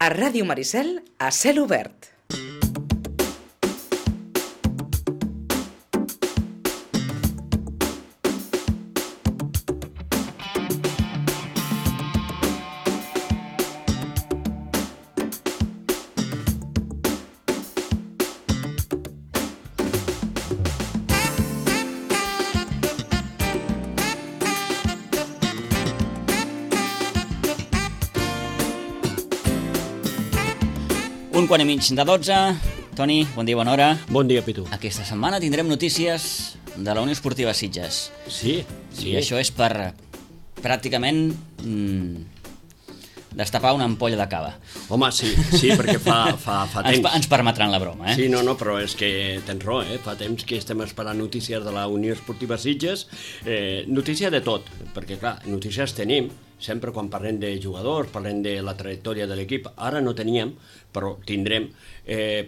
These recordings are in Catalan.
A Ràdio Maricel, a cel obert. Un quart i mig de 12. Toni, bon dia, bona hora. Bon dia, Pitu. Aquesta setmana tindrem notícies de la Unió Esportiva Sitges. Sí. I això és per pràcticament destapar una ampolla de cava. Home, sí, perquè fa temps. Ens permetran la broma, Sí, no, però és que tens raó, fa temps que estem esperant notícies de la Unió Esportiva Sitges. Notícia de tot, perquè clar, notícies tenim, sempre quan parlem de jugadors, parlem de la trajectòria de l'equip. Ara no teníem, però tindrem,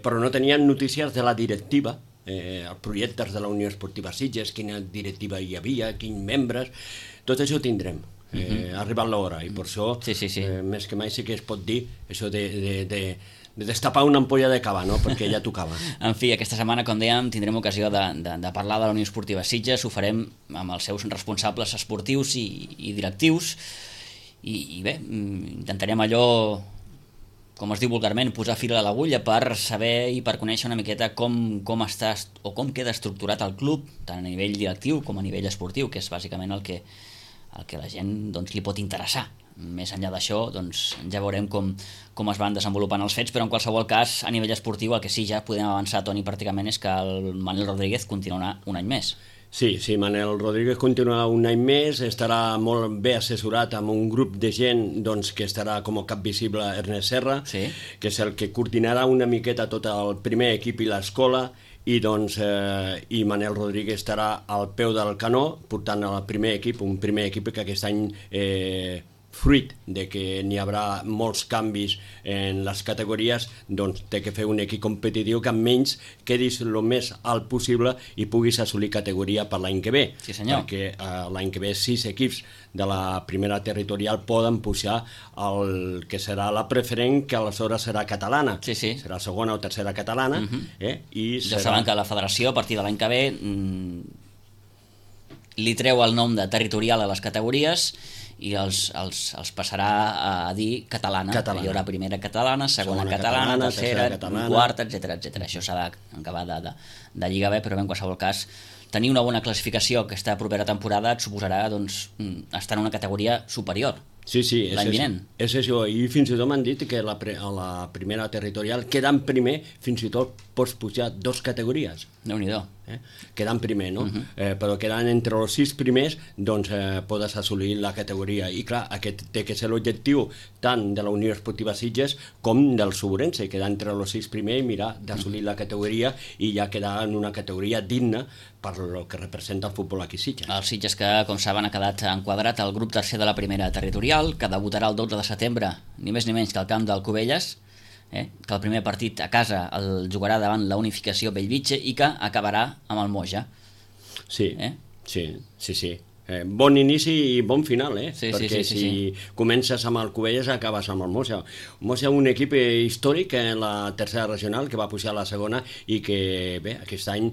però no teníem notícies de la directiva, els projectes de la Unió Esportiva Sitges, quina directiva hi havia, quins membres, tot això tindrem. Ha arribat l'hora i per això, més que mai sí que es pot dir això de destapar una ampolla de cava, no? Perquè ja tocava. En fi, aquesta setmana, com dèiem, tindrem ocasió de parlar de la Unió Esportiva Sitges. Ho farem amb els seus responsables esportius i directius. I bé, intentarem allò, com es diu vulgarment, posar fil a l'agulla per saber i per conèixer una miqueta com està o com queda estructurat el club, tant a nivell directiu com a nivell esportiu, que és bàsicament el que la gent li pot interessar. Més enllà d'això, ja veurem com es van desenvolupant els fets, però en qualsevol cas, a nivell esportiu, el que sí ja podem avançar, Toni, pràcticament és que el Manel Rodríguez continuarà un any més. Sí, Manel Rodríguez continuarà un any més, estarà molt bé assessorat amb un grup de gent que estarà com a cap visible Ernest Serra, que és el que coordinarà una miqueta tot el primer equip i l'escola, i Manel Rodríguez estarà al peu del canó portant el primer equip, un primer equip que aquest any fruit de que n'hi haurà molts canvis en les categories, té que fer un equip competitiu que almenys quedis el més alt possible i puguis assolir categoria per l'any que ve. Sí, senyor. Perquè l'any que ve 6 equips de la primera territorial poden pujar el que serà la preferent, que aleshores serà catalana. Sí. Serà segona o tercera catalana. Ja saben que la federació, a partir de l'any que ve, li treu el nom de territorial a les categories i els passarà a dir catalana. Hi haurà primera catalana, segona catalana, tercera, quarta, etc. Això s'ha d'acabar de lligar bé, però en qualsevol cas tenir una bona classificació aquesta propera temporada et suposarà estar en una categoria superior. Sí, l'any vinent. És això, i fins i tot m'han dit que a la primera territorial, quedant primer, fins i tot pots pujar 2 categories. Déu-n'hi-do. Quedant primer, no? Però quedant entre els 6 primers, podes assolir la categoria. I clar, aquest té que ser l'objectiu tant de la Unió Esportiva Sitges com del Suburense, quedar entre els 6 primers i mirar d'assolir la categoria i ja quedar en una categoria digna per el que representa el futbol aquí a Sitges. El Sitges que, com saben, ha quedat enquadrat al grup tercer de la primera territorial, que debutarà el 12 de setembre, ni més ni menys que al camp del Cubelles, que el primer partit a casa el jugarà davant la Unificació Bellvitge i que acabarà amb el Moja. Sí. Bon inici i bon final, perquè si comences amb el Cubelles acabes amb el Moja. Moja, un equip històric en la tercera regional que va pujar a la segona i que, bé, aquest any,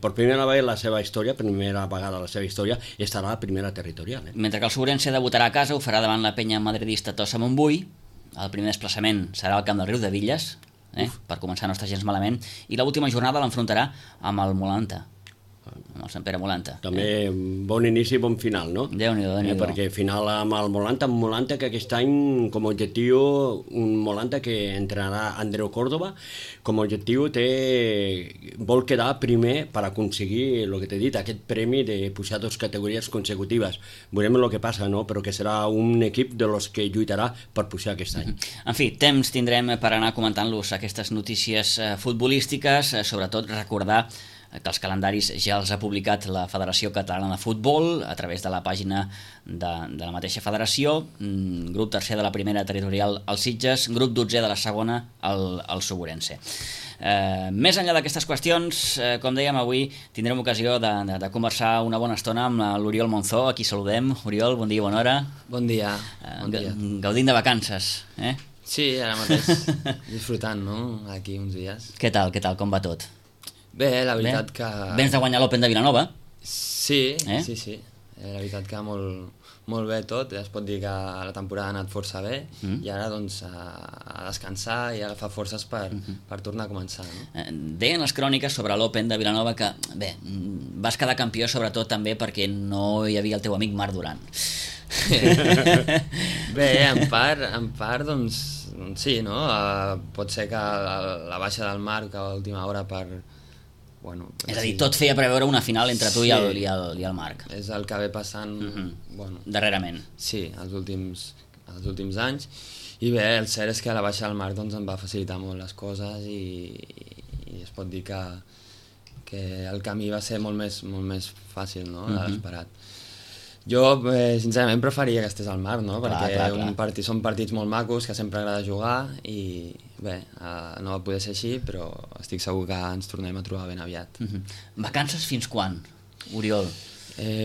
per primera vegada la seva història, estarà a la primera territorial. Mentre que el Suburense debutarà a casa, ho farà davant la penya madridista Tossa Montbui. El primer desplaçament serà al camp del Riu de Villes, per començar no està gens malament, i l'última jornada l'enfrontarà amb el Molanta, amb el Sant Pere Molanta. També bon inici i bon final, no? Déu-n'hi-do. Perquè final amb el Molanta, que aquest any com a objectiu, un Molanta que entrenarà Andreu Córdoba, com a objectiu vol quedar primer per aconseguir el que t'he dit, aquest premi de pujar 2 categories consecutives. Veurem el que passa, no? Però que serà un equip de los que lluitarà per pujar aquest any. En fi, temps tindrem per anar comentant-los aquestes notícies futbolístiques, sobretot recordar que els calendaris ja els ha publicat la Federació Catalana de Futbol a través de la pàgina de la mateixa federació, grup tercer de la primera territorial al Sitges, grup 12 de la segona al Suburense. Més enllà d'aquestes qüestions, com dèiem, avui tindrem ocasió de conversar una bona estona amb l'Oriol Monzó, a qui saludem. Oriol, bon dia, bona hora. Bon dia. Gaudint de vacances, Sí, ara mateix disfrutant, no? Aquí uns dies. Què tal, com va tot? Bé, la veritat que... Vens de guanyar l'Open de Vilanova? Sí. La veritat que molt bé tot, es pot dir que la temporada ha anat força bé i ara doncs a descansar i a agafar forces per tornar a començar. No? Deien les cròniques sobre l'Open de Vilanova que, bé, vas quedar campió sobretot també perquè no hi havia el teu amic Marc Duran. Bé, en part doncs sí, no? Pot ser que la baixa del Marc a l'última hora per... Bueno, és a dir, tot feia preveure una final entre tu i el Marc. És el que ve passant darrerament. Sí, els últims anys. I bé, el cert és que la baixa del Marc doncs, em va facilitar molt les coses i es pot dir que el camí va ser molt més fàcil, no? De l'esperat. Jo, sincerament, preferia que estés al Marc, no? Perquè són partits molt macos, que sempre agrada jugar i bé, no va poder ser així, però estic segur que ens tornem a trobar ben aviat. Vacances fins quan, Oriol?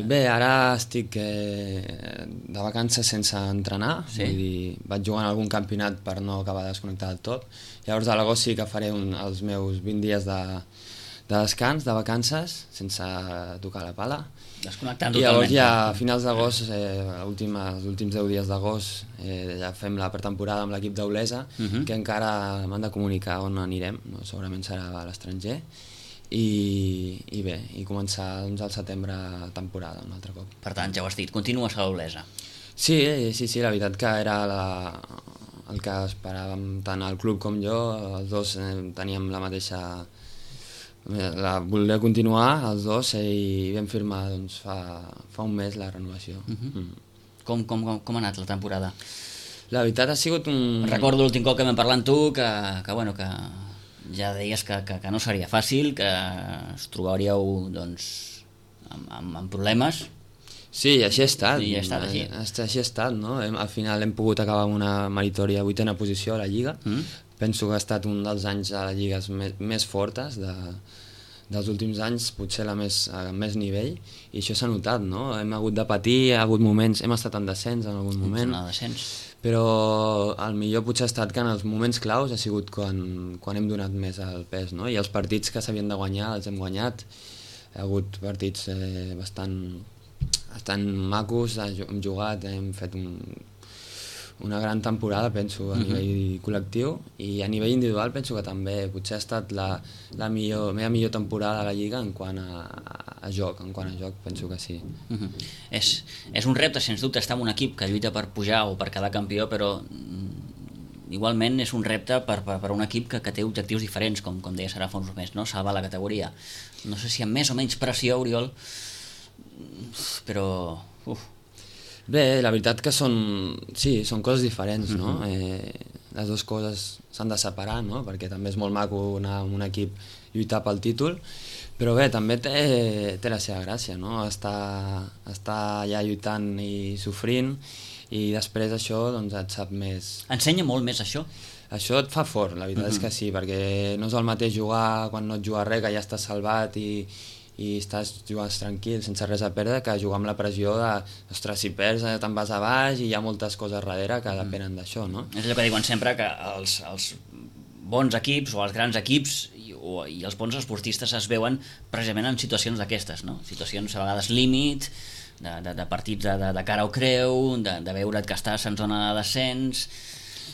Bé, ara estic de vacances sense entrenar, vull dir, vaig jugar en algun campionat per no acabar de desconnectar del tot. Llavors a l'agost sí que faré els meus 20 dies de descans, de vacances, sense tocar la pala. Desconnectant totalment. I llavors ja a finals d'agost, els últims 10 dies d'agost, ja fem la pretemporada amb l'equip d'Olesa, que encara m'han de comunicar on anirem, no? Segurament serà a l'estranger, i bé, i començar doncs, al setembre temporada un altre cop. Per tant, ja ho has dit, continues a l'Olesa. Sí, la veritat que era el que esperàvem tant el club com jo, els dos teníem la mateixa... voler continuar els dos i vam firmar doncs, fa un mes la renovació. Com ha anat la temporada? La veritat ha sigut un... Recordo l'últim cop que vam parlar amb tu que ja deies que no seria fàcil, que us trobaríeu doncs, amb problemes. Sí, així ha estat. I ha estat així. Així ha estat, no? Al final hem pogut acabar amb una meritòria 8a posició a la Lliga. Penso que ha estat un dels anys a la Lliga més fortes dels últims anys, potser la més nivell, i això s'ha notat, no? Hem hagut de patir, ha hagut moments, hem estat en descens en algun moment, però el millor potser ha estat que en els moments claus ha sigut quan hem donat més el pes, no? I els partits que s'havien de guanyar els hem guanyat, ha hagut partits bastant macos, hem jugat, hem fet una gran temporada, penso, a nivell col·lectiu, i a nivell individual penso que també potser ha estat la meva millor temporada a la Lliga en quant a joc, penso que sí. És un repte, sens dubte, estar en un equip que lluita per pujar o per quedar campió, però igualment és un repte per un equip que té objectius diferents, com deies ara fa uns moments, no? Salvar la categoria. No sé si amb més o menys pressió, Oriol, però... Bé, la veritat que són coses diferents, no? Les dues coses s'han de separar, no? Perquè també és molt maco anar amb un equip lluitar pel títol, però bé, també té la seva gràcia, no? Estar allà lluitant i sofrint, i després això doncs, et sap més... Ensenya molt més això? Això et fa fort, la veritat és que sí, perquè no és el mateix jugar quan no et jugues res, que ja estàs salvat i estàs jugant tranquil, sense res a perdre, que jugar amb la pressió de, ostres, si perds te'n vas a baix i hi ha moltes coses darrere que depenen d'això, no? És allò que diuen sempre, que els bons equips o els grans equips i els bons esportistes es veuen precisament en situacions d'aquestes, no? Situacions a vegades límit, de partits de cara o creu, de veure't que estàs en zona de descens...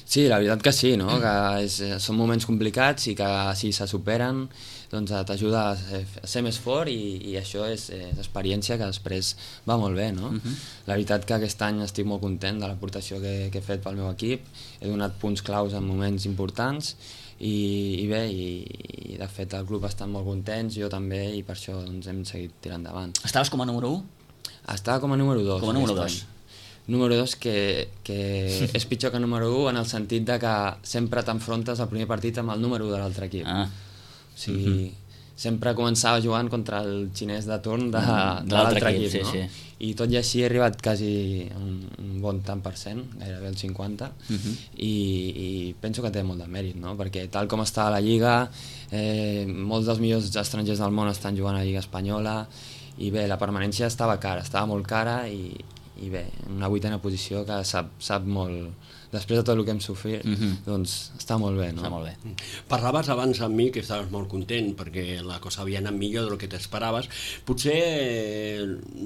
Sí, la veritat que sí, no? Que són moments complicats i que si se superen doncs t'ajuda a ser més fort i això és experiència que després va molt bé, no? La veritat que aquest any estic molt content de l'aportació que he fet pel meu equip, he donat punts claus en moments importants i bé, i de fet el club està molt contents, jo també, i per això doncs, hem seguit tirant endavant. Estaves com a número 1? Estava com a número 2. Com a número 2. Número 2 que és pitjor que número 1 en el sentit de que sempre t'enfrontes al primer partit amb el número 1 de l'altre equip. O sigui, sempre començava jugant contra el xinès de torn de l'altre equip, no? I tot i així he arribat quasi a un bon tant per cent, gairebé el 50%, i penso que té molt de mèrit, no? Perquè tal com està la Lliga, molts dels millors estrangers del món estan jugant a la Lliga espanyola, i bé, la permanència estava molt cara, i i bé, una 8a posició que sap molt, després de tot el que hem sofrit, doncs està molt bé, no? Està molt bé. Parlaves abans amb mi que estaves molt content perquè la cosa havia anat millor del que t'esperaves. Potser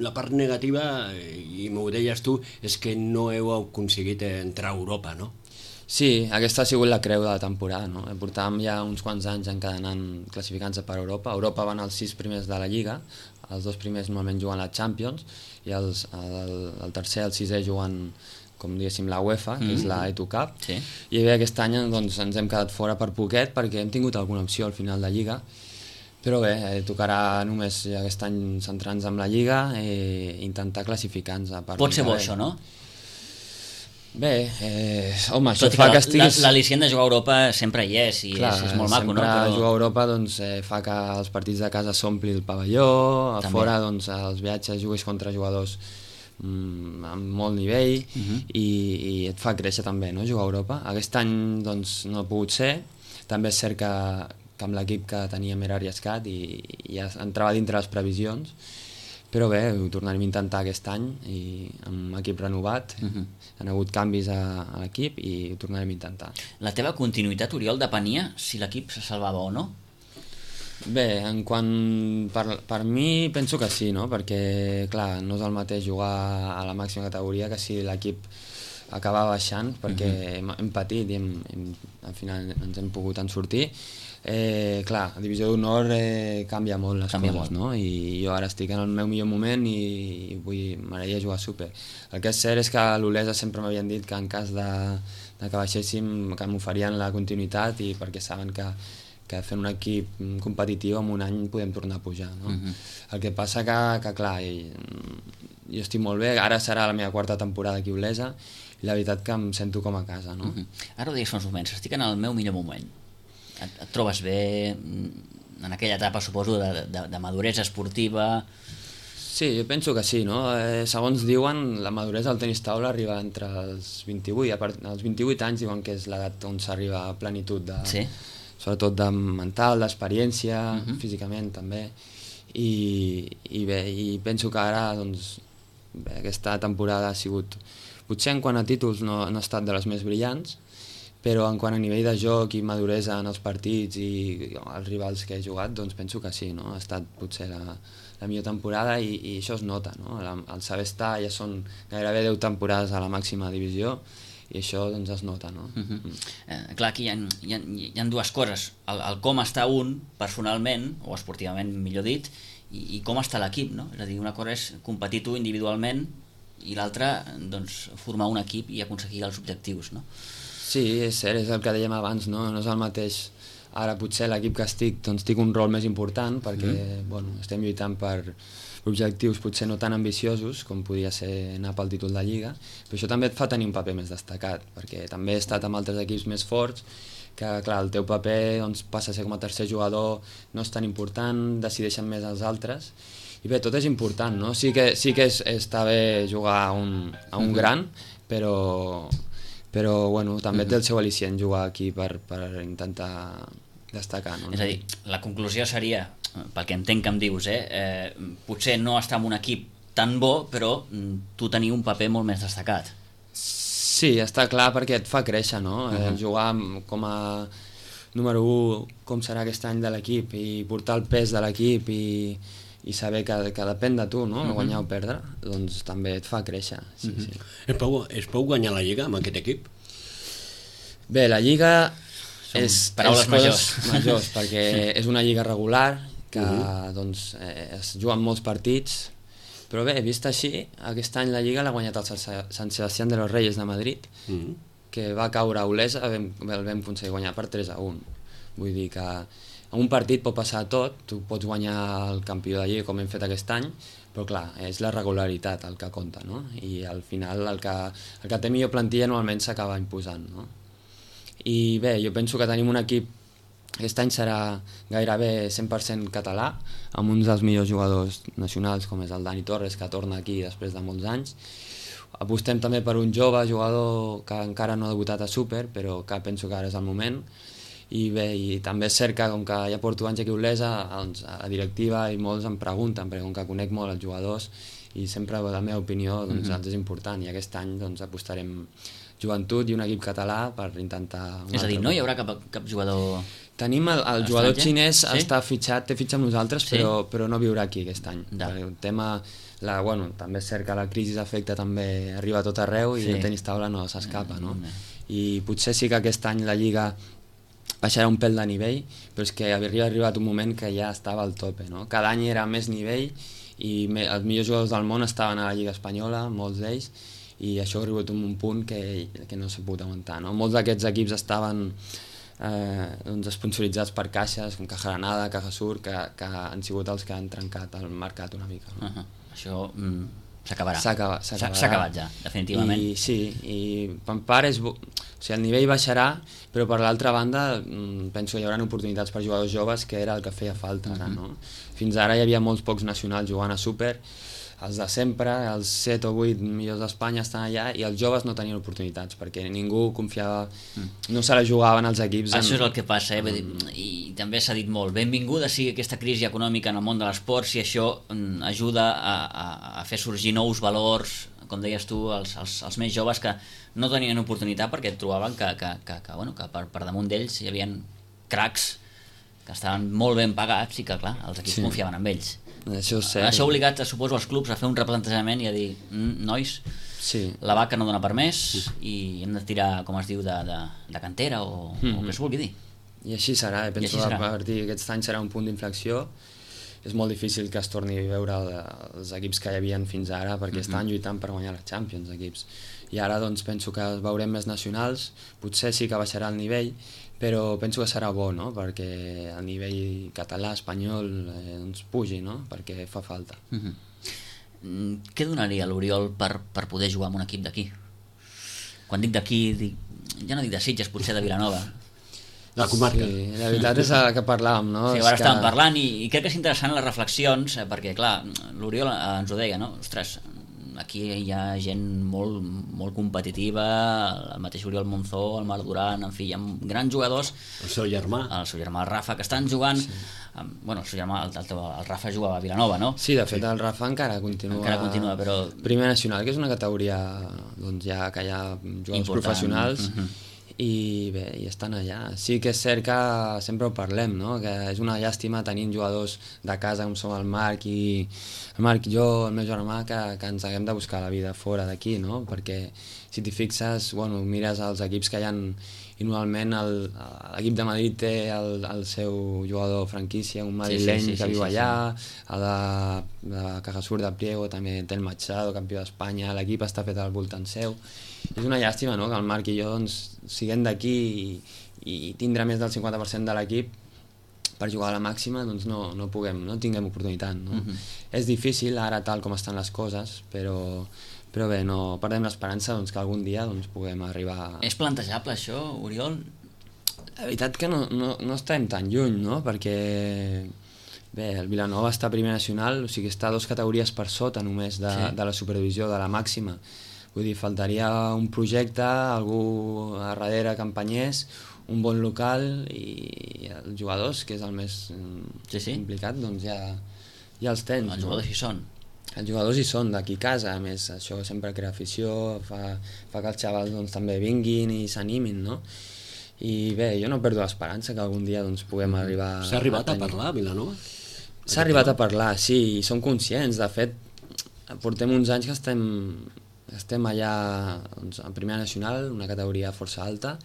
la part negativa, i m'ho deies tu, és que no heu aconseguit entrar a Europa, no? Sí, aquesta ha sigut la creu de la temporada, no? Portàvem ja uns quants anys encadenant classificants per Europa. A Europa van els 6 primers de la Lliga, els 2 primers normalment juguen la Champions i el tercer i el sisè juguen, com diguéssim, la UEFA, que és la Eto Cup, sí. I bé, aquest any doncs, ens hem quedat fora per poquet perquè hem tingut alguna opció al final de Lliga, però bé, tocarà només aquest any centrar-nos en la Lliga i intentar classificar-nos. Pot ser bo això, no? Bé, home, això fa que estiguis... L'al·licient de jugar a Europa sempre hi és, i clar, és molt maco, no? Sempre jugar a Europa doncs, fa que els partits de casa s'ompli el pavelló, a fora doncs, els viatges juguis contra jugadors amb molt nivell i et fa créixer també, no? Jugar a Europa. Aquest any doncs, no ha pogut ser, també és cert que amb l'equip que teníem era arriscat i ja entrava dintre les previsions, però bé, ho tornarem a intentar aquest any i amb equip renovat, han hagut canvis a l'equip i ho tornarem a intentar. La teva continuïtat, Oriol, depenia si l'equip se salvava o no? Bé, en quant per mi penso que sí, no? Perquè clar, no és el mateix jugar a la màxima categoria que si l'equip acaba baixant, perquè hem patit i al final ens hem pogut en sortir. Clar, a Divisió d'Honor canvia molt les coses, no? I jo ara estic en el meu millor moment i m'agradaria jugar super. El que és cert és que a l'Olesa sempre m'havien dit que en cas de que baixéssim que m'oferien la continuïtat i perquè saben que fent un equip competitiu en un any podem tornar a pujar, no? El que passa que clar, jo estic molt bé, ara serà la meva 4a temporada aquí a Olesa i la veritat que em sento com a casa, no? Ara ho deies fa uns moments, estic en el meu millor moment. Et trobes bé en aquella etapa, suposo, de maduresa esportiva? Sí, jo penso que sí, no? Segons diuen, la maduresa del tenis taula arriba entre els 28, als 28 anys diuen que és l'edat on s'arriba a plenitud sobretot de mental, d'experiència, físicament també, i bé, i penso que ara doncs, bé, aquesta temporada ha sigut, potser en quant a títols no ha estat de les més brillants, però en quant a nivell de joc i maduresa en els partits i els rivals que he jugat, doncs penso que sí, no? Ha estat potser la millor temporada i això es nota, no? El saber estar ja són gairebé 10 temporades a la màxima divisió i això doncs es nota, no? Clar, aquí hi ha dues coses, el com està un personalment, o esportivament millor dit, i com està l'equip, no? És a dir, una cosa és competir tu individualment i l'altra, doncs, formar un equip i aconseguir els objectius, no? Sí, és cert, és el que dèiem abans, no? No és el mateix. Ara potser l'equip que estic, doncs tinc un rol més important perquè bueno, estem lluitant per objectius potser no tan ambiciosos com podia ser anar pel títol de Lliga, però això també et fa tenir un paper més destacat, perquè també he estat amb altres equips més forts que clar, el teu paper doncs, passa a ser com a tercer jugador, no és tan important, decideixen més els altres, i bé, tot és important, no? Sí que està bé jugar a un gran, però bueno, també té el seu al·licient jugar aquí per intentar destacar, no? És a dir, la conclusió seria, pel que entenc que em dius, potser no estar en un equip tan bo, però tu tenir un paper molt més destacat. Sí, està clar, perquè et fa créixer, no? Jugar com a número 1, com serà aquest any de l'equip, i portar el pes de l'equip i saber que depèn de tu, no? Guanyar o perdre, doncs també et fa créixer. Sí, sí. Es pot guanyar la Lliga amb aquest equip? Bé, la Lliga és paraules majors perquè és una lliga regular que doncs, es juguen molts partits, però bé, vist així, aquest any la Lliga l'ha guanyat el Sant Sebastián de los Reyes de Madrid, que va caure a Olesa, el vam aconseguir guanyar per 3-1. Vull dir que en un partit pot passar tot, tu pots guanyar el campió de Lliga com hem fet aquest any, però clar, és la regularitat el que compta, no? I al final el que té millor plantilla normalment s'acaba imposant, no? I bé, jo penso que tenim un equip, aquest any serà gairebé 100% català, amb uns dels millors jugadors nacionals com és el Dani Torres, que torna aquí després de molts anys. Apostem també per un jove jugador que encara no ha debutat a Súper, però que penso que ara és el moment. I bé, i també és cert que com que ja porto anys aquí a Olesa, doncs, a la directiva i molts em pregunten, perquè com que conec molt els jugadors i sempre, la meva opinió, doncs, ens és important, i aquest any doncs, apostarem joventut i un equip català per intentar... És a dir, no hi haurà cap jugador... Tenim el jugador xinès, sí? té fitxat amb nosaltres, sí? però no viurà aquí aquest any. El tema, també és cert que la crisi d'efecte també arriba a tot arreu i el tenis taula no s'escapa, no? I potser sí que aquest any la Lliga baixarà un pèl de nivell, però és que havia arribat un moment que ja estava al tope, no? Cada any era més nivell i els millors jugadors del món estaven a la Lliga Espanyola, molts d'ells, i això ha arribat a un punt que no s'ha pogut aguantar, no? Molts d'aquests equips estaven sponsoritzats per caixes com Caja Granada, Caja Sur, que han sigut els que han trencat el mercat una mica, no? Això s'acabarà. S'ha acabat ja, definitivament. I per part o sigui, el nivell baixarà, però per l'altra banda penso que hi haurà oportunitats per jugadors joves, que era el que feia falta ara, no? Fins ara hi havia molts pocs nacionals jugant a Súper, els de sempre, els 7 o 8 millors d'Espanya estan allà, i els joves no tenien oportunitats perquè ningú confiava, no se la jugaven els equips. Això és el que passa, i també s'ha dit molt, benvinguda sigui aquesta crisi econòmica en el món de l'esport si això ajuda a fer sorgir nous valors, com deies tu, els més joves que no tenien oportunitat perquè trobaven que per damunt d'ells hi havia cracs que estaven molt ben pagats i que clar, els equips confiaven en ells. Això ha obligat, suposo, els clubs a fer un replantejament i a dir, nois, la vaca no dona per més i hem de tirar, com es diu, de cantera o que es vulgui dir. I així serà, penso que a partir d'aquest any serà un punt d'inflexió. És molt difícil que es torni a veure els equips que hi havia fins ara perquè estan lluitant per guanyar la Champions, equips. I ara doncs penso que veurem més nacionals, potser sí que baixarà el nivell, però penso que serà bo, no? Perquè el nivell català, espanyol, pugi, no? Perquè fa falta. Què donaria l'Oriol per poder jugar en un equip d'aquí? Quan dic d'aquí, ja no dic de Sitges, potser de Vilanova. La comarca. Sí, la veritat és el que parlàvem, no? Sí, ara estàvem parlant i crec que és interessant les reflexions, perquè clar, l'Oriol ens ho deia, no? Ostres, aquí hi ha gent molt competitiva, el mateix Oriol Monzó, el Marc Duran, en fi, hi ha grans jugadors. El seu germà. El seu germà, el Rafa, que estan jugant... Bueno, el seu germà, el Rafa jugava a Vilanova, no? Sí, de fet el Rafa encara continua però... Primera Nacional, que és una categoria doncs, ja que hi ha jugadors professionals, i bé, i estan allà. Sí que és cert que sempre ho parlem, no? Que és una llàstima tenint jugadors de casa com som el Marc i jo, el meu germà, que ens haguem de buscar la vida fora d'aquí, no? Perquè si t'hi fixes, bueno, mires els equips que hi ha i normalment l'equip de Madrid té el seu jugador franquícia, un madrileny que viu allà, el de Caja Sur de Priego també té el Machado, campió d'Espanya, l'equip està fet al voltant seu. És una llàstima, no?, que el Marc i jo doncs, siguem d'aquí i tindrà més del 50% de l'equip per jugar a la màxima, doncs no tinguem oportunitat, no? És difícil ara tal com estan les coses, però bé, no perdem l'esperança doncs, que algun dia doncs, puguem arribar... És plantejable això, Oriol? La veritat que no estem tan lluny, no? Perquè bé, el Vilanova està a Primera Nacional, o sigui, està 2 categories per sota només de la superdivisió, de la màxima. Vull dir, faltaria un projecte, algú a darrere que empenyés, un bon local i els jugadors, que és el més implicat, doncs ja els tens. Els jugadors hi són. Els jugadors hi són, d'aquí a casa, a més, això sempre crea afició, fa que els xavals doncs, també vinguin i s'animin, no? I bé, jo no perdo l'esperança que algun dia doncs, puguem arribar... S'ha arribat a parlar a Vilanova? S'ha arribat a parlar, sí, i som conscients. De fet, portem uns anys que estem allà doncs, en Primera Nacional, una categoria força alta,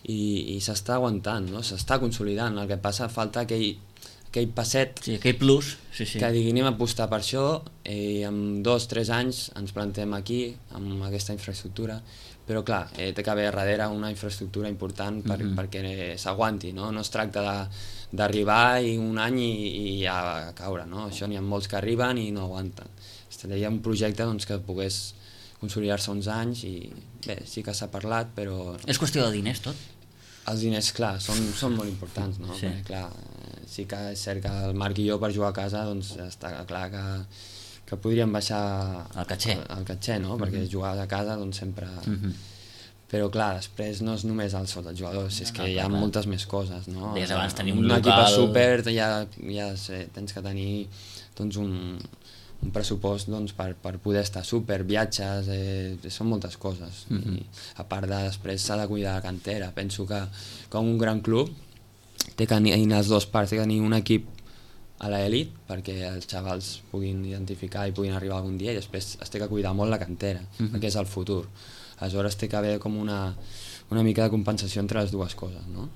i s'està aguantant, no? S'està consolidant. El que passa, falta aquell passet, aquell plus, que digui, anem a apostar per això i en 2-3 anys ens plantem aquí amb aquesta infraestructura, però clar, té que haver darrere una infraestructura important perquè s'aguanti, no? No es tracta d'arribar un any i ja caure, no? Això n'hi ha molts que arriben i no aguanten. Hi ha un projecte doncs, que pogués consolidar-se uns anys i bé, sí que s'ha parlat, però... És qüestió de diners, tot? Els diners, clar, són molt importants, no? Sí. Perquè, clar, sí que és cert que el Marc i jo per jugar a casa doncs està clar que podríem baixar el catxer, no? Perquè jugar a casa doncs sempre... Però clar, després no és només el sou dels jugadors, és que hi ha moltes més coses, no? Deies abans, tenir un equip a local... súper, ja tens que tenir doncs un pressupost doncs, per poder estar súper, viatges, són moltes coses. I, a part de després s'ha de cuidar la cantera. Penso que com un gran club té que tenir les dues parts, té que tenir un equip a l'elit perquè els xavals puguin identificar i puguin arribar algun dia, i després es té que cuidar molt la cantera, perquè és el futur. Aleshores té que haver com una mica de compensació entre les dues coses, no?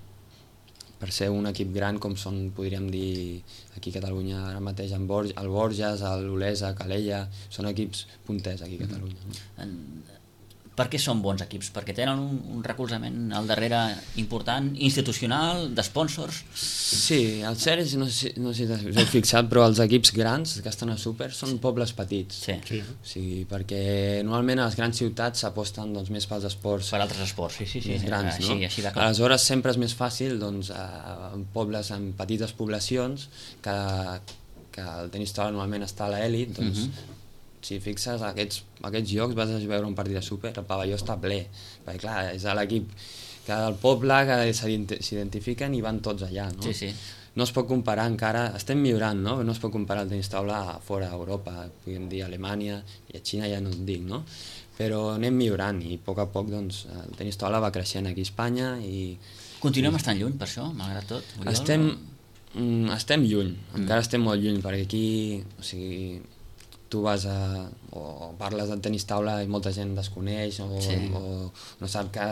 Per ser un equip gran com són, podríem dir, aquí a Catalunya ara mateix, el Borges, l'Olesa, Calella, són equips punters aquí a Catalunya. No? Per què són bons equips? Perquè tenen un recolzament al darrere important, institucional, d'espònsors? Sí, el cert és, no sé si t'heu fixat, però els equips grans que estan a Súper són pobles petits. Sí. O sigui, perquè normalment a les grans ciutats s'aposten doncs, més pels esports. Per altres esports, sí. Més grans, no? Així de clar. Aleshores sempre és més fàcil doncs, en pobles, en petites poblacions, que el tenis taula normalment està a l'elit, doncs si fixes aquests jocs vas a veure un partit de Súper, el pavelló està ple, perquè clar, és l'equip del poble que s'identifiquen i van tots allà, no? Sí. No es pot comparar encara, estem millorant, no? No es pot comparar el tenis taula fora d'Europa, podríem dir Alemanya i a Xina ja no et dic, no? Però anem millorant i a poc doncs, el tenis taula va creixent aquí a Espanya i... Continuem estant lluny per això, malgrat tot? Estem lluny, encara estem molt lluny, perquè aquí, o sigui, tu vas o parles del tenis taula i molta gent desconeix o no sap que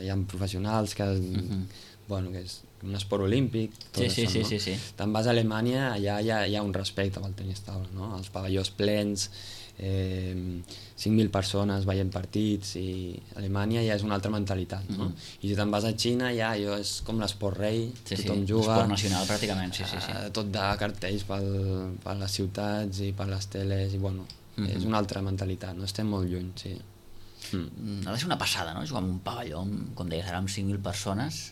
hi ha professionals, que és un esport olímpic, tot això, no? Sí. Te'n vas a Alemanya, allà hi ha un respecte pel tenis taula, no? Els pavellons plens, 5.000 persones veient partits, i a Alemanya ja és una altra mentalitat, no? I si te'n vas a Xina ja és com l'esport rei, tothom juga, esport nacional pràcticament, sí. tot de cartells per les ciutats i per les teles, i bueno, és una altra mentalitat, no? Estem molt lluny, sí. Ha de ser una passada, no? Jugar en un pavelló, com deies, ara amb 5.000 persones.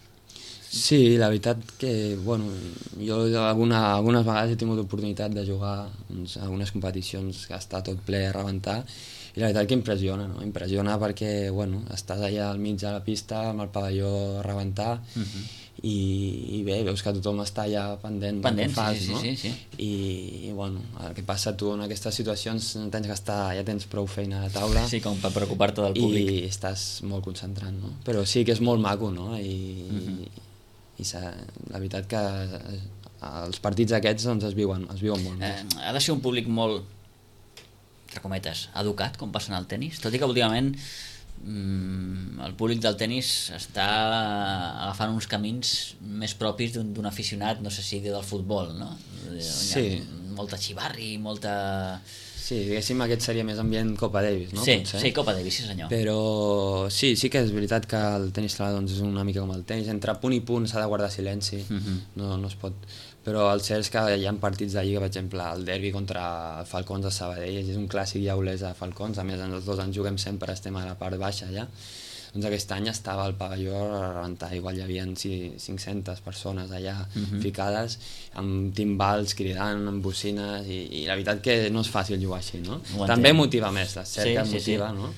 Sí, la veritat que, bueno, jo algunes vegades he tingut l'oportunitat de jugar en algunes competicions que està tot ple a rebentar, i la veritat que impressiona, no? Impressiona perquè, bueno, estàs allà al mig de la pista amb el pavelló a rebentar i bé, veus que tothom està allà pendent del que fas, no? Sí. I bueno, el que passa tu en aquestes situacions tens que estar, ja tens prou feina a taula, sí, com per preocupar-te del públic, i estàs molt concentrat, no? Però sí que és molt maco, no? I la veritat que els partits aquests doncs, es viuen molt més. Ha de ser un públic molt, entre cometes, educat, com passa en el tenis, tot i que últimament el públic del tenis està agafant uns camins més propis d'un aficionat, no sé si del futbol, no? Sí. Molta xivarri, molta... Sí, diguéssim, aquest seria més ambient Copa Davis, no? Sí, Copa Davis, sí senyor. Però sí que és veritat que el tenis taula doncs, és una mica com el tenis, entre punt i punt s'ha de guardar silenci, no es pot... Però el cert és que hi ha partits de lliga, per exemple, el derbi contra el Falcons de Sabadell, és un clàssic ja olès a Falcons, a més els dos ens juguem sempre, estem a la part baixa allà. Doncs aquest any estava el pavelló a rebentar, igual hi havia 500 persones allà ficades, amb timbals cridant, amb bocines, i la veritat que no és fàcil jugar així, no? També motiva més, la cerca motiva, no?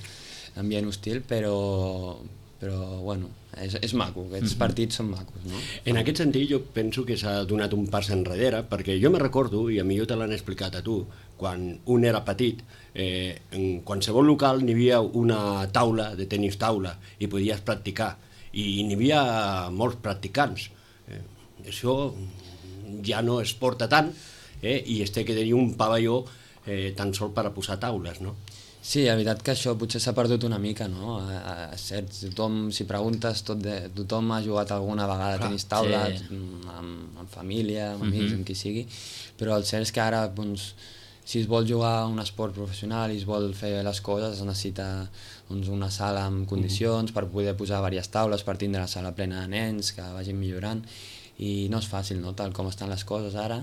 L'ambient hostil, però bueno, és maco, aquests partits són macos, no? En aquest sentit jo penso que s'ha donat un pas enrere, perquè jo me recordo, i a mi te l'han explicat a tu, quan un era petit, en qualsevol local n'hi havia una taula de tenis taula i podies practicar, i n'hi havia molts practicants. Això ja no es porta tant, i es té que tenir un pavelló tan sol per a posar taules, no? Sí, la veritat que això potser s'ha perdut una mica, no? Tothom, si preguntes, tothom ha jugat alguna vegada a tenis taula, amb família, amb amics, amb qui sigui, però el cert és que ara, doncs, si es vol jugar un esport professional i es vol fer les coses, es necessita una sala amb condicions per poder posar diverses taules, per tindre la sala plena de nens que vagin millorant, i no és fàcil, no? Tal com estan les coses ara,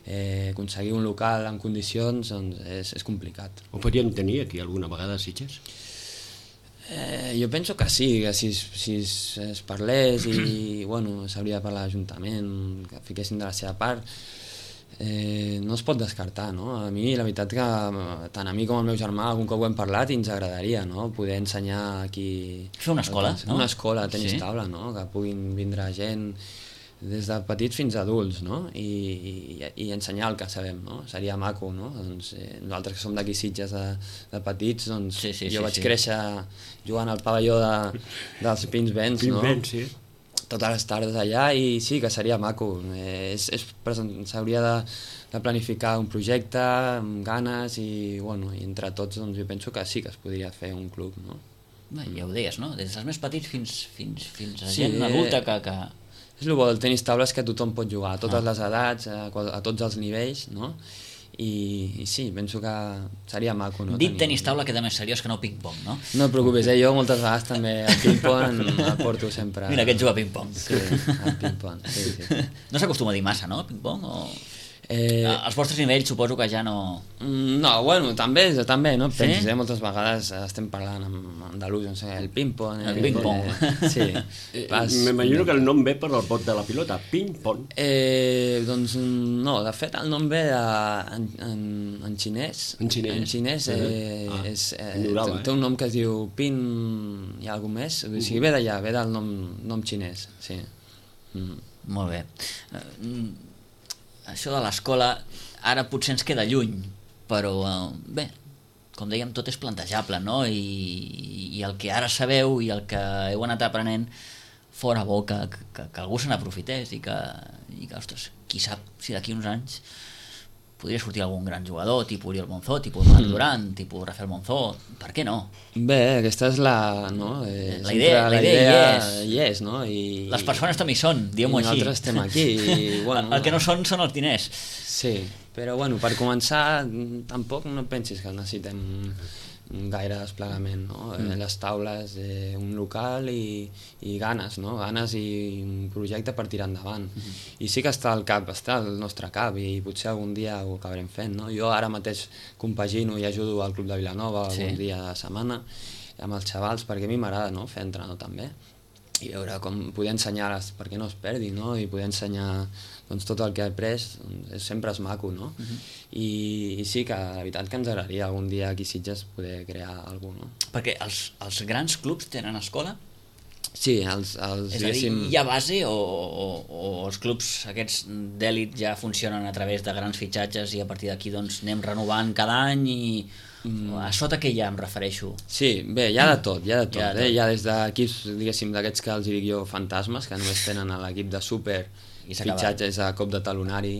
aconseguir un local en condicions doncs és complicat. Ho podríem tenir aquí alguna vegada a Sitges? Jo penso que sí, que si es parlés i bueno, s'hauria de parlar a l'Ajuntament, que fiquessin de la seva part, no es pot descartar, no? A mi la veritat que tant a mi com al meu germà algun cop ho hem parlat i ens agradaria, no? Poder ensenyar aquí... Fer una escola, no? Una escola de tenis taula, no? Que puguin vindre gent des de petits fins a adults, no? I ensenyar el que sabem, no? Seria maco, no? Doncs, nosaltres que som d'aquí Sitges de petits, doncs jo vaig créixer jugant al pavelló dels Pins Vents, no? Sí. Totes les tardes allà, i sí que seria maco. S'hauria de planificar un projecte amb ganes i, bueno, i entre tots doncs, jo penso que sí que es podria fer un club, no? Ja ho deies, no? Des dels més petits fins a gent adulta que... És el bo del tenis taula, és que tothom pot jugar, a totes les edats, a tots els nivells, no? I sí, penso que seria maco, no? Dit tenis taula queda més seriós que no ping-pong, no? No et preocupis, jo moltes vegades també el ping-pong el porto sempre... Mira, aquest juga a ping-pong. Sí, el ping-pong, sí. No s'acostuma a dir massa, no, ping-pong? Els vostres nivells suposo que ja no... No, bueno, també, no? Sí? Penses, moltes vegades estem parlant amb andalús, no sé, el ping-pong... El ping-pong. Sí. M'imagino que el nom ve per el pot de la pilota, ping-pong. Doncs no, de fet el nom ve en xinès. En xinès? En xinès té un nom que es diu pin i alguna més, o sigui, ve d'allà, ve del nom xinès, sí. Molt bé. Això de l'escola ara potser ens queda lluny, però bé, com dèiem, tot és plantejable, no? I el que ara sabeu i el que heu anat aprenent, fora bo que algú se n'aprofités i que, ostres, qui sap si d'aquí uns anys podria sortir algun gran jugador, tipus Oriol Monzó, tipus Marc Duran, tipus Rafael Monzó, per què no? Bé, aquesta és la idea hi és, no? I les persones també hi són, diguem-ho així. I nosaltres estem aquí. Bueno, el que no són els diners. Sí, però bueno, per començar tampoc no pensis que necessitem gaire desplegament, no? Les taules, un local i ganes, no? Ganes i un projecte per tirar endavant. I sí que està al nostre cap, i potser algun dia ho acabarem fent, no? Jo ara mateix compagino i ajudo al Club de Vilanova algun dia a la setmana amb els xavals, perquè a mi m'agrada, no? Fer entrenador també, i veure com poder ensenyar-les perquè no es perdi, no? I poder ensenyar doncs, tot el que he après, sempre és maco, no? I sí que la veritat que ens agradaria algun dia aquí a Sitges poder crear alguna cosa, no? Perquè els grans clubs tenen escola? Sí, és a dir, hi ha base o els clubs aquests d'èlit ja funcionen a través de grans fitxatges i a partir d'aquí doncs anem renovant cada any i a sota què hi ha, em refereixo? Sí, bé, hi ha de tot, hi ha des d'equips, diguéssim, d'aquests que els dic jo fantasmes, que només tenen a l'equip de súper fitxatges a cop de talonari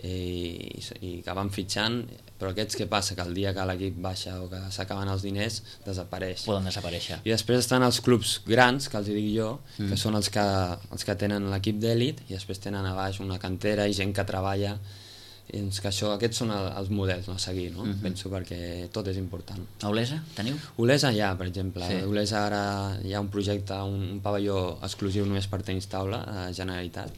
i que van fitxant, però aquests què passa? Que el dia que l'equip baixa o que s'acaben els diners desapareix. Poden desaparèixer. I després estan els clubs grans, que els dic jo, que són els que tenen l'equip d'èlit, i després tenen a baix una cantera i gent que treballa, i doncs que aquests són els models a seguir, no? Penso, perquè tot és important. A Olesa teniu? Olesa hi ha, per exemple. A Olesa ara hi ha un projecte, un pavelló exclusiu només per tenis taula, a Generalitat.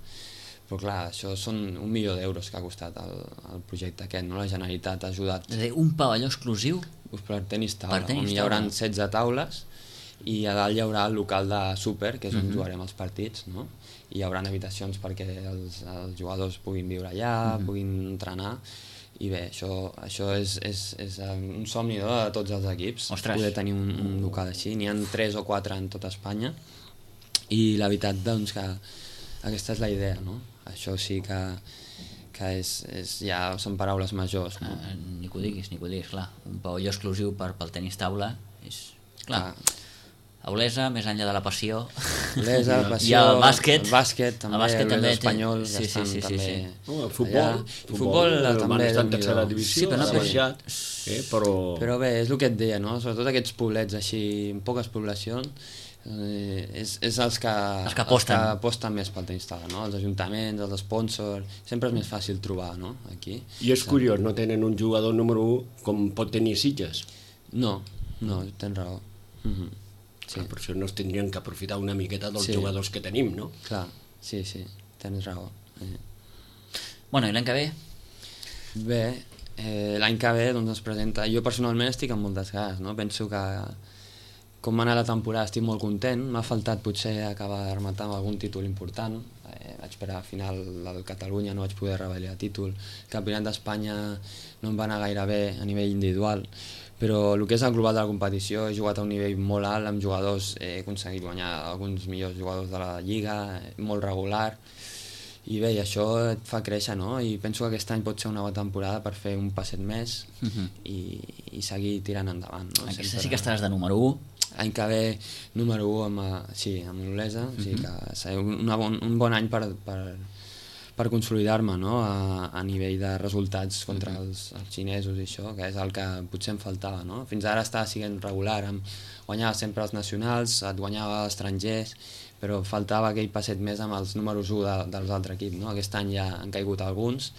Però clar, això són 1 milió d'euros que ha costat el projecte aquest, no? La Generalitat ha ajudat. És a dir, un pavelló exclusiu? Per tenis taula, on hi haurà 16 taules, i a dalt hi haurà el local de súper, que és on jugarem els partits, no? I hi haurà habitacions perquè els jugadors puguin viure allà, puguin entrenar, i bé, això és un somni de tots els equips. Ostres. Poder tenir un local així. N'hi ha 3 o 4 en tota Espanya, i la veritat doncs que aquesta és la idea, no? Això sí que ja són paraules majors, no? Ni que ho diguis, clar. Un pavelló exclusiu pel tenis taula és... Clar. A Olesa, més enllà de la passió, Olesa, la passió, hi ha el bàsquet. El bàsquet també, l'Espanyol, sí. El futbol. El futbol també està en tercera divisió, però ha baixat, però bé, és el que et deia, no? Sobretot aquests poblets així, amb poques poblacions, és els que aposten més pel tenis taula, no? Els ajuntaments, els sponsors, sempre és més fàcil trobar, no? Aquí. I és curiós, no tenen un jugador número 1 com pot tenir Sitges? No, tens raó. Sí. Per això no es tindrien que aprofitar una miqueta dels jugadors que tenim, no? Clar, sí, tens raó. Bueno, i l'any que ve? Bé, l'any que ve doncs, es presenta... Jo personalment estic amb moltes ganes, no? Penso que com va anar la temporada estic molt content. M'ha faltat potser acabar de rematar amb algun títol important. Vaig per a final del Catalunya, no vaig poder revalidar títol. El Campionat d'Espanya no em va anar gaire bé a nivell individual, però el que és el global de la competició he jugat a un nivell molt alt amb jugadors, he aconseguit guanyar alguns millors jugadors de la Lliga, molt regular, I bé, i això et fa créixer, no? I penso que aquest any pot ser una bona temporada per fer un passet més i seguir tirant endavant, no? Aquesta sí que estaràs de número 1. L'any que ve número 1 amb l'Olesa, o sigui que serà un bon any per consolidar-me, no? A nivell de resultats contra els xinesos i això, que és el que potser em faltava, no? Fins ara estava sent regular, guanyava sempre els nacionals, et guanyava els estrangers, però faltava aquell passet més amb els números 1 dels altres equips, no? Aquest any ja han caigut alguns,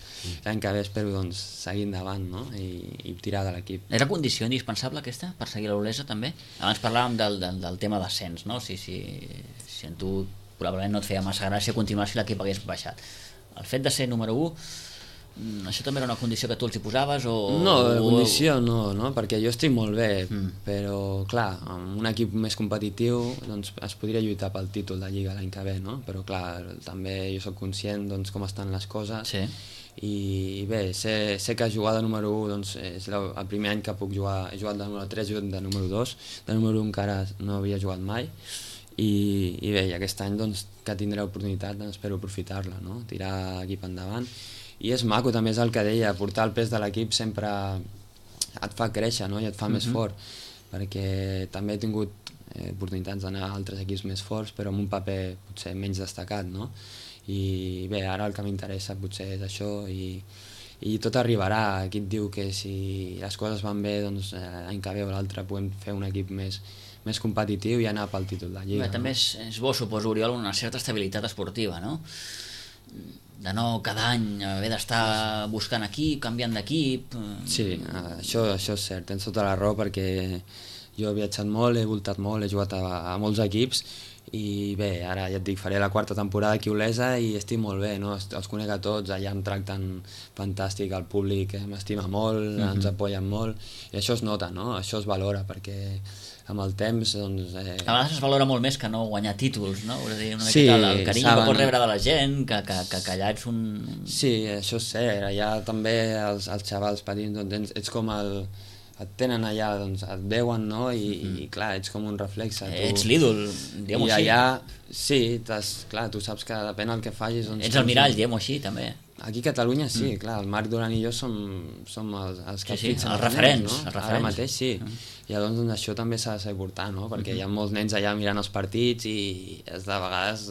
l'any que ve espero doncs, seguir endavant, no? I tirar de l'equip. Era condició indispensable aquesta per seguir l'Olesa també? Abans parlàvem del tema d'ascens, no? Si a tu probablement no et feia massa gràcia continuar si l'equip hagués baixat. El fet de ser número 1, això també era una condició que tu els hi posaves? No, condició no, perquè jo estic molt bé, però clar, amb un equip més competitiu doncs, es podria lluitar pel títol de Lliga l'any que ve, no? Però clar, també jo soc conscient doncs, com estan les coses i bé, sé que jugar de número 1 doncs, és el primer any que puc jugar, he jugat de número 3, he jugat de número 2, de número 1 encara no havia jugat mai i bé, aquest any doncs, que tindré l'oportunitat doncs, espero aprofitar-la, no? Tirar l'equip endavant. I és maco, també és el que deia, portar el pes de l'equip sempre et fa créixer, no? I et fa més fort, perquè també he tingut oportunitats d'anar a altres equips més forts, però amb un paper potser menys destacat, no? I bé, ara el que m'interessa potser és això i tot arribarà. Aquí et diu que si les coses van bé, doncs l'any que ve o l'altre podem fer un equip més competitiu i anar pel títol de Lliga. Bé, també és bo, suposo, Oriol, una certa estabilitat esportiva, no? De no cada any haver d'estar buscant equip, canviant d'equip... Sí, això és cert, tens tota la raó, perquè jo he viatjat molt, he voltat molt, he jugat a molts equips i bé, ara ja et dic, faré la 4ª temporada aquí a Olesa i estic molt bé, no? Els conec a tots, allà em tracten fantàstic, el públic m'estima molt, ens apoyen molt i això es nota, no? Això es valora perquè amb el temps doncs... A vegades es valora molt més que no guanyar títols, no? Vull dir, una miqueta el carinyo que pots rebre de la gent, que allà ets un... Sí, això és cert, allà també els xavals petits doncs, ets com et tenen allà, doncs et veuen, no? I clar, ets com un reflexe. Ets l'ídol, diguem-ho així. I allà, sí, clar, tu saps que depèn del que facis... Doncs, ets el mirall, diguem-ho així, també. Aquí a Catalunya sí, clar, el Marc Duran i jo som els que fixen els referents, no? Ara mateix sí, i llavors doncs, això també s'ha de saber portar, no? Perquè hi ha molts nens allà mirant els partits i de vegades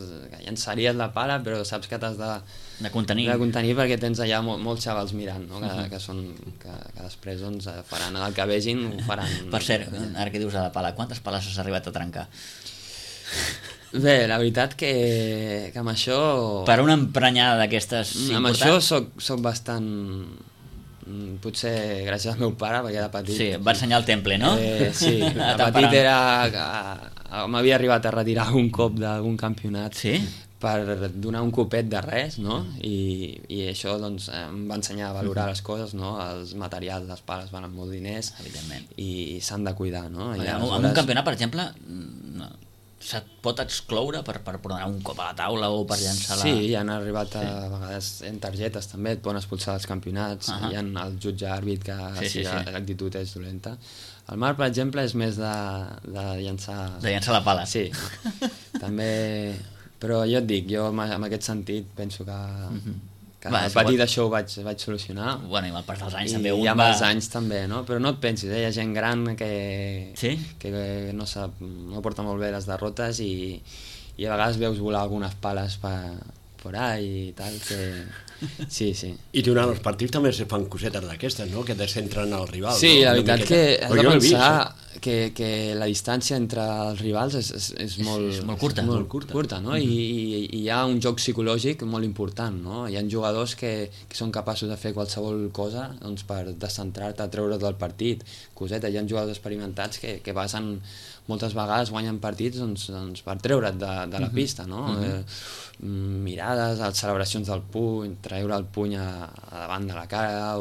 llançaries la pala però saps que t'has de contenir perquè tens allà molts xavals mirant, no? que després doncs, faran el que vegin, ho faran. Per cert, ara que dius de la pala, quantes pales has arribat a trencar? Bé, la veritat que amb això... Per una emprenyada d'aquestes importants... Amb això soc bastant... Potser gràcies al meu pare, perquè era petit... Sí, va ensenyar el temple, no? Sí, de petit m'havia arribat a retirar un cop d'algun campionat per donar un copet de res, no? I això doncs, em va ensenyar a valorar les coses, no? Els materials, les pales valen molts diners i s'han de cuidar, no? En un campionat, per exemple... se't pot excloure per donar un cop a la taula o per llançar la... Sí, han arribat a vegades en targetes també, et poden expulsar dels campionats, hi ha el jutge àrbit que si l'actitud és dolenta. El Marc, per exemple, és més de llançar... De llançar la pala. Sí, també... Però jo et dic, jo en aquest sentit penso que... a partir d'això ho vaig solucionar. Bueno, i amb el pas dels anys també un va... I amb els anys també, no? Però no et pensis, hi ha gent gran que no porta molt bé les derrotes i a vegades veus volar algunes pales por ahí i tal, que... Sí. I durant els partits també se fan cosetes d'aquestes, no? Que descentren el rival. Sí, la veritat que has de pensar que la distància entre els rivals és molt curta, no? I hi ha un joc psicològic molt important, no? Hi ha jugadors que són capaços de fer qualsevol cosa doncs, per descentrar-te, treure't del partit, coseta. Hi ha jugadors experimentats que passen moltes vegades guanyen partits doncs, per treure't de la pista, no? Mirades, celebracions del puny, treure el puny a davant de la cara,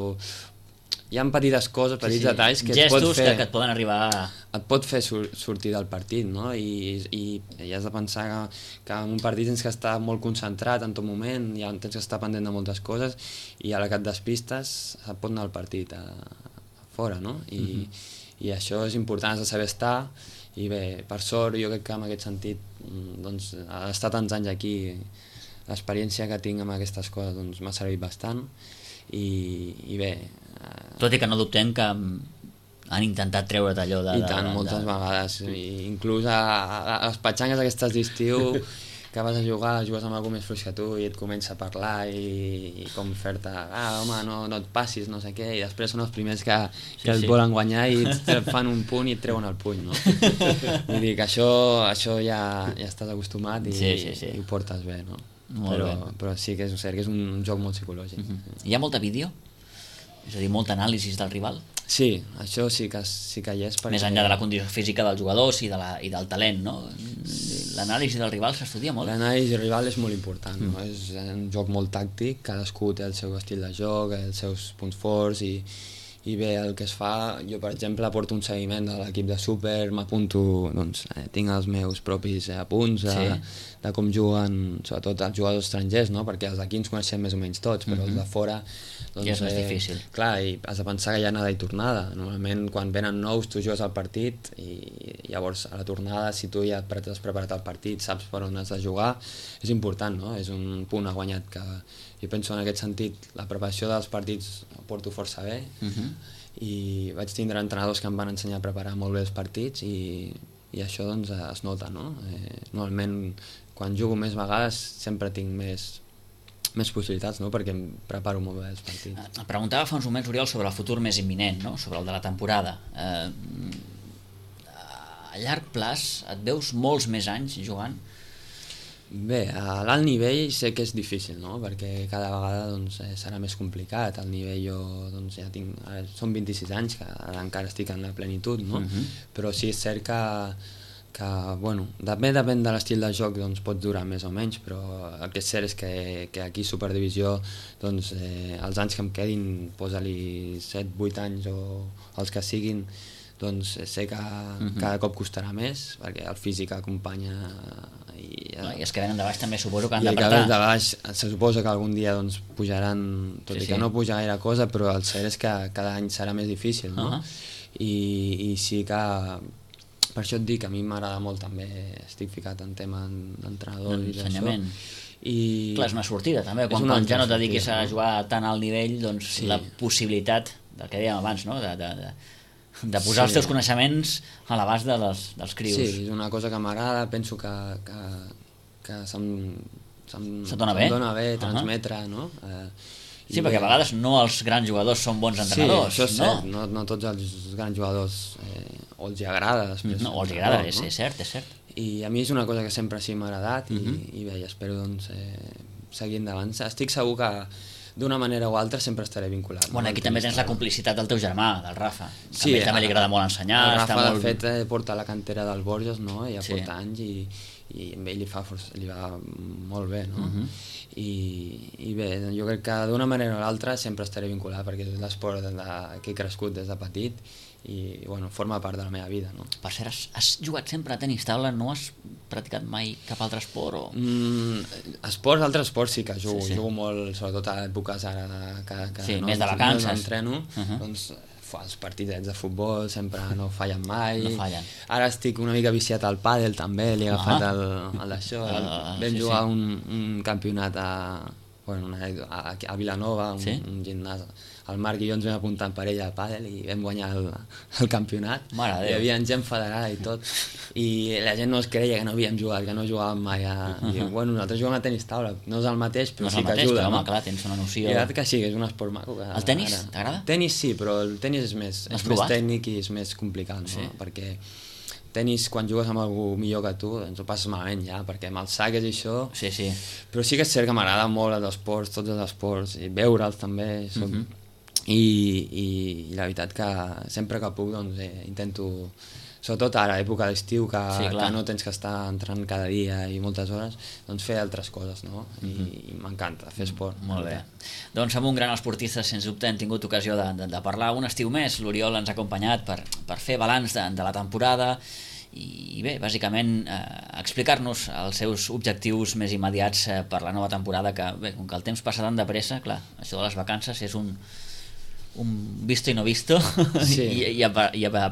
hi ha petites coses, petits detalls que gestos et pot fer, que et poden arribar et pot fer sortir del partit, no? I has de pensar que en un partit tens que estar molt concentrat en tot moment, tens que estar pendent de moltes coses i a la que et despistes et pot anar el partit a fora, no? I això és important, has de saber estar. I bé, per sort, jo crec que en aquest sentit doncs, estar tants anys aquí l'experiència que tinc amb aquestes coses doncs, m'ha servit bastant i bé... Tot i que no dubtem que han intentat treure't allò de... I tant, moltes vegades. Inclús a les petxangues aquestes d'estiu que vas a jugar, jugues amb algú més fluix que tu i et comença a parlar i com fer-te, home, no et passis, no sé què, i després són els primers que et volen guanyar i et fan un punt i et treuen el puny, no? Vull dir que això ja estàs acostumat i ho portes bé, no? Però sí que és cert que és un joc molt psicològic. Hi ha molta vídeo? És a dir, molta anàlisi del rival? Sí, això sí que hi és. Més enllà de la condició física dels jugadors i del talent, no? L'anàlisi del rival s'estudia molt. L'anàlisi del rival és molt important, no? És un joc molt tàctic, cadascú té el seu estil de joc, els seus punts forts i bé, el que es fa, jo per exemple porto un seguiment de l'equip de Súper, m'apunto, doncs, tinc els meus propis apunts de com juguen, sobretot els jugadors estrangers, no? Perquè els d'aquí ens coneixem més o menys tots, però els de fora doncs, ja és més difícil. Clar, i has de pensar que hi ha anada i tornada. Normalment quan venen nous tu jugues al partit i llavors a la tornada, si tu ja has preparat el partit, saps per on has de jugar, és important, no? És un punt a guanyat que jo penso en aquest sentit, la preparació dels partits ho porto força bé i vaig tindre entrenadors que em van ensenyar a preparar molt bé els partits i això doncs es nota, no? Normalment quan jugo més vegades sempre tinc més possibilitats, no? Perquè em preparo molt bé els partits. Et preguntava fa uns moments, Oriol, sobre el futur més imminent, no? Sobre el de la temporada. A llarg plaç et veus molts més anys jugant? Bé, a l'alt nivell sé que és difícil, no? Perquè cada vegada doncs, serà més complicat. Al nivell jo doncs, ja tinc... Són 26 anys, que encara estic en la plenitud, no? Però sí és cert que bueno, depèn de l'estil de joc, doncs pot durar més o menys, però el que és cert és que aquí a Superdivisió doncs, els anys que em quedin, posa-li 7-8 anys o els que siguin, doncs sé que cada cop costarà més, perquè el físic acompanya i els que venen de baix també suposo que han d'apretar. I d'apretar. els de baix se suposa que algun dia doncs, pujaran, tot i que no puja gaire cosa, però el cert és que cada any serà més difícil, no? I sí que per això et dic que a mi m'agrada molt també, estic ficat en tema d'entrenador i d'això. Clar, és una sortida també, quan ja no et dediquis a jugar tan alt nivell, doncs la possibilitat del que dèiem abans, no? De posar els teus coneixements a l'abast dels crios. Sí, és una cosa que m'agrada, penso que se'm dona bé transmetre, no? Sí, perquè a vegades no els grans jugadors són bons entrenadors. Sí, això és cert, no tots els grans jugadors o els agrada després. No, els agrada, és cert, és cert. I a mi és una cosa que sempre sí m'ha agradat i bé, espero doncs seguir endavant. Estic segur que d'una manera o altra sempre estaré vinculat. Bueno, aquí també tens la complicitat del teu germà, del Rafa. També li agrada molt ensenyar. El Rafa, de fet, porta la cantera del Borges, no? Ja porta anys i a ell li va molt bé, no? I bé, jo crec que d'una manera o l'altra sempre estaré vinculat perquè és l'esport que he crescut des de petit i bueno, forma part de la meva vida, no? Per cert, has jugat sempre a tenis taula? No has practicat mai cap altre esport? Altres esports sí que jugo. Jugo molt, sobretot a èpoques ara que més de vacances. Entreno, doncs els partidets de futbol sempre no fallen mai. No fallen. Ara estic una mica viciat al pàdel també, li he agafat el d'això. Vam jugar un campionat a Vilanova, un gimnàs. El Marc i jo ens vam apuntar en parella al pàdel i vam guanyar el campionat. Hi havia gent federada i tot. I la gent no es creia que no havíem jugat, que no jugàvem mai. Bueno, nosaltres juguem a tenis taula, no és el mateix, però sí que ajuda. Home, clar, tens una noció... I la veritat que sí, que és un esport maco. El tenis, t'agrada? El tenis sí, però el tenis és més tècnic i és més complicat, no? Perquè tenis, quan jugues amb algú millor que tu, doncs ho passes malament ja, perquè amb els saques i això... Sí. Però sí que és cert que m'agrada molt els esports, tots els esports, i veure'ls també. I la veritat que sempre que puc doncs, intento, sobretot ara, època d'estiu, que no tens que estar entrant cada dia i moltes hores, doncs fer altres coses, no? I m'encanta fer esport. Molt bé. Doncs amb un gran esportista, sens dubte, hem tingut ocasió de parlar un estiu més. L'Oriol ens ha acompanyat per fer balanç de la temporada i bé, bàsicament explicar-nos els seus objectius més immediats per la nova temporada, que bé, com que el temps passa tan de pressa, clar, això de les vacances és un un visto i no visto, sí. i a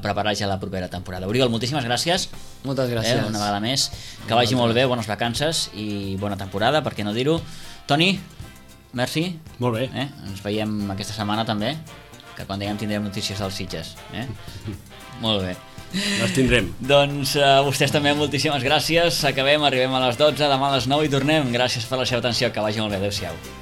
preparar ja la propera temporada. Oriol, moltíssimes gràcies. Moltes gràcies. Una vegada més. Que vagi molt bé, bones vacances i bona temporada, per què no dir-ho. Toni, merci. Molt bé. Ens veiem aquesta setmana també, que quan tindrem notícies dels Sitges. Molt bé. Les tindrem. Doncs a vostès també moltíssimes gràcies. Arribem a les 12, demà a les 9 i tornem. Gràcies per la seva atenció, que vagi molt bé. Adéu-siau.